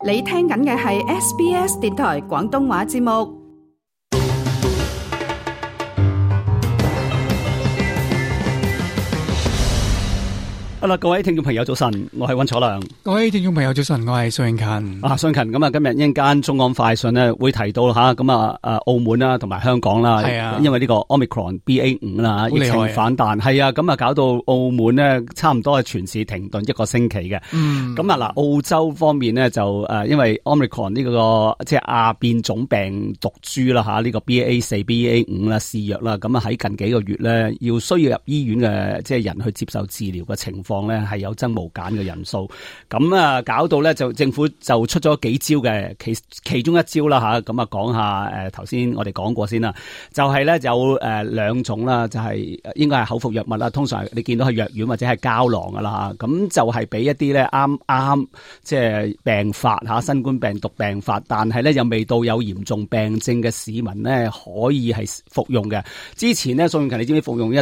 你聽緊嘅係 SBS 電台廣東話節目。好啦，各位聽眾朋友早晨，我係溫楚良。各位聽眾朋友早晨，我係蘇永勤。蘇永勤，咁啊，今日一陣間中港快訊咧會提到吓，咁啊，澳門啦，同埋香港啦，係啊，因為呢個 Omicron BA5 啦，疫情反彈，係啊，咁啊，搞到澳門咧差唔多係全市停頓1個星期嘅。咁啊，嗱，澳洲方面咧就因為 Omicron 呢個即係亞變種病毒株啦吓，呢個 BA4、BA5 啦肆虐啦，咁啊喺近幾個月咧要需要入醫院嘅即係人去接受治療嘅情況咧係有增無減嘅人數，咁啊搞到咧就政府就出咗幾招嘅，其中一招啦吓，咁啊講下頭先我哋講過先啦，就係咧有兩種啦，就係應該係口服藥物啦，通常你見到係藥丸或者係膠囊噶啦吓，咁就係俾一啲咧啱即係病發吓新冠病毒病發，但係咧又未到有嚴重病症嘅市民咧可以係服用嘅。之前咧蘇永勤，你知唔知服用一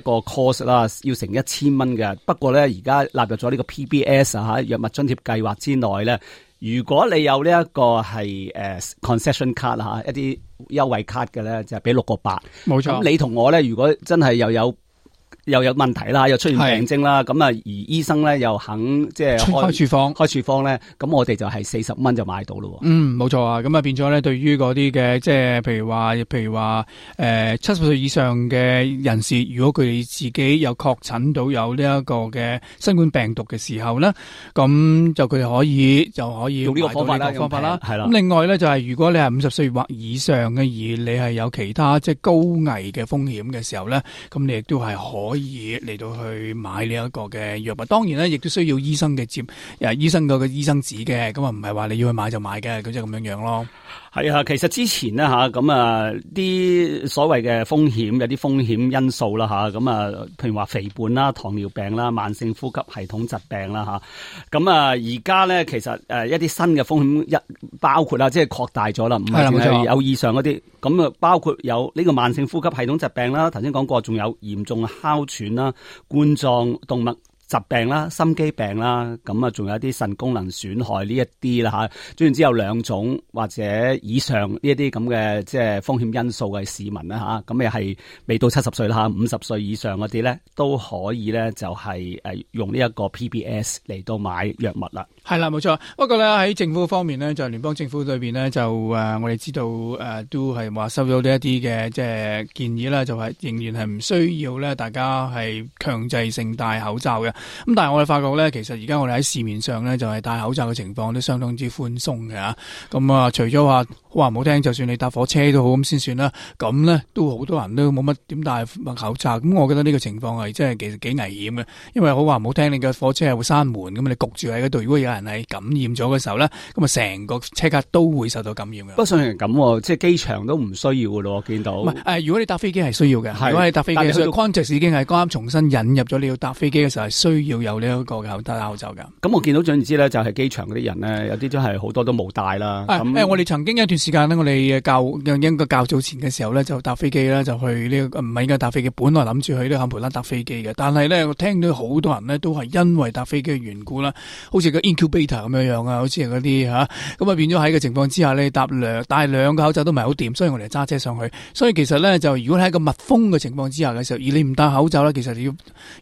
個 course 啦要成1000蚊嘅，不過咧而家納入咗呢個 PBS 啊藥物津貼計劃之內咧，如果你有呢一個係concession card 吓一啲優惠卡嘅咧，就係俾6個8。冇錯。咁你同我咧，如果真係又有問題啦，又出現病徵啦，咁啊而醫生咧又肯即係開處方咧，咁我哋就係40蚊就買到咯。冇錯啊，咁啊變咗咧，對於嗰啲嘅即係譬如話70歲以上嘅人士，如果佢哋自己有確診到有呢一個嘅新冠病毒嘅時候咧，咁就佢哋可以用呢個方法啦，係啦。咁另外咧就係如果你係50歲或以上嘅，而你係有其他即係高危嘅風險嘅時候咧，咁你亦都係可以嚟到去買呢一個嘅藥物。當然咧，亦都需要醫生嘅醫生個醫生紙嘅，咁啊唔係話你要去買就買嘅，咁就咁樣樣咯。係啊，其實之前咧吓，咁啊啲所謂嘅風險有啲風險因素啦吓，咁啊譬如話肥胖啦、糖尿病啦、慢性呼吸系統疾病啦吓，咁啊而家咧其實一啲新嘅風險包括啦，即係擴大咗啦，唔係淨係有以上嗰啲，咁啊包括有呢個慢性呼吸系統疾病啦，頭先講過，仲有嚴重哮喘啦、冠狀動脈疾病啦、心肌病啦，咁啊仲有一啲腎功能損害呢一啲啦吓，總言之有2種或者以上呢一啲咁嘅即係風險因素嘅市民啦吓，咁又係未到70歲啦吓，50歲以上嗰啲咧都可以咧就係用呢一個 PBS 嚟到買藥物啦。係啦，冇錯。不過咧喺政府方面咧，就聯邦政府裏邊咧就我哋知道都係話收咗呢一啲嘅即係建議啦，就係仍然係唔需要咧大家係強制性戴口罩嘅。咁但係我哋發覺咧，其實而家我哋喺市面上咧就係戴口罩嘅情況都相當之寬鬆嘅吓。咁啊，除咗話好話唔好聽，就算你搭火車都好咁先算啦。咁咧都好多人都冇乜點戴口罩。咁我覺得呢個情況係真係其實幾危險嘅，因為好話唔好聽，你嘅火車係會閂門，咁你焗住喺嗰度。如果有人係感染咗嘅時候咧，咁啊成個車卡都會受到感染嘅。不過雖然咁，即係機場都唔需要嘅咯，我見到。唔係如果你搭飛機係需要嘅。如果你搭飛機嘅時候 Qantas 已經係啱重新引入咗，你要搭飛機嘅時候係需要有呢一個戴口罩㗎。咁我見到總言之咧，就係機場嗰啲人咧，有啲真係好多都冇戴啦。我哋曾經有一段時間咧，我哋應該較早前嘅時候咧，就搭飛機咧，就去呢個唔係應該搭飛機，本來諗住去呢個坎培拉搭飛機嘅，但係咧我聽到好多人咧都係因為搭飛機嘅緣故啦，好似個 incubator 咁樣啊，好似係嗰啲咁啊變咗喺個情況之下咧，戴2個口罩都唔係好掂，所以我哋揸車上去。所以其實咧就如果喺一個密封嘅情況之下嘅時候，而你唔戴口罩咧，其實你要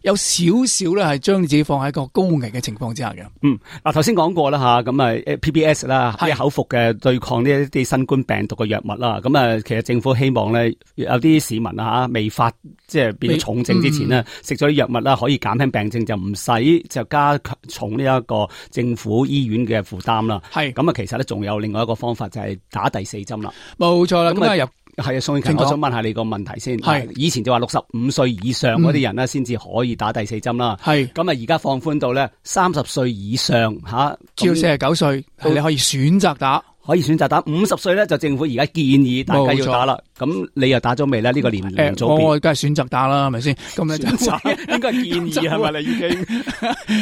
有少少咧係將你自己放喺一個高危嘅情況之下嘅。嗱頭先講過啦吓，咁啊 PBS 啦，啲口服嘅對抗呢一啲新冠病毒嘅藥物啦，咁啊其實政府希望咧有啲市民啊未發即係變重症之前呢，食咗啲藥物啦，可以減輕病症，就唔使就加重呢一個政府醫院嘅負擔啦。係咁啊，其實咧仲有另外一個方法就係打第4針啦。冇錯啦，咁啊係啊，蘇永勤，我想問下你個問題先。係以前就話65歲以上嗰啲人咧，先至可以打第4針啦。係咁啊，而家放寬到咧30歲以上吓，至到49歲，你可以選擇打。可以選擇打50歲咧，就政府而家建議大家要打啦。咁你又打咗未咧？呢個年組別我梗係選擇打啦，係咪先？咁咧就應該建議係咪？你已經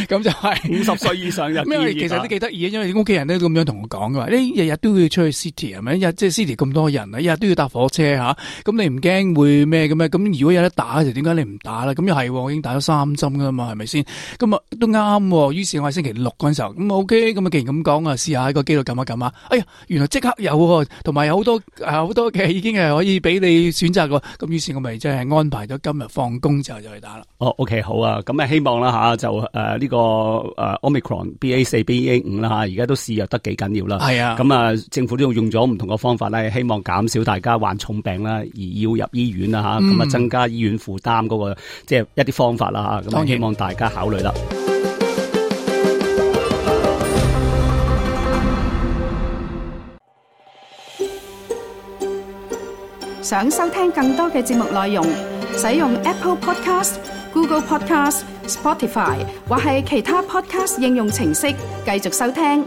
咁就係50歲以上就建議。因為其實都幾得意，因為屋企人都咁樣同我講嘅話，你日日都要出去 city 係咪？即係 city 咁多人啊，日日都要搭火車吓，咁你唔驚會咩嘅咩？咁如果有得打就點解你唔打咧？咁又係，我已經打咗3針噶嘛，係咪先？咁啊都啱。於是我喺星期6嗰陣時候，咁 OK，咁啊既然咁講啊，試下喺個機度撳一撳啊！哎呀，原來即刻有，同埋有好多嘅已經係可以俾你選擇嘅。咁於是我咪即係安排咗今日放工之後就去打啦。哦 ，OK， 好啊，咁啊希望啦吓，就呢個Omicron BA4、BA5 啦吓，而家都肆虐得幾緊要啦。係啊，咁啊政府都用咗唔同嘅方法咧，希望減少大家患重病啦，而要入醫院啦吓，咁啊增加醫院負擔嗰個即係一啲方法啦吓，咁希望大家考慮啦。想收聽更多嘅節目內容，使用 Apple Podcast、Google Podcast、Spotify 或係其他 Podcast 應用程式繼續收聽。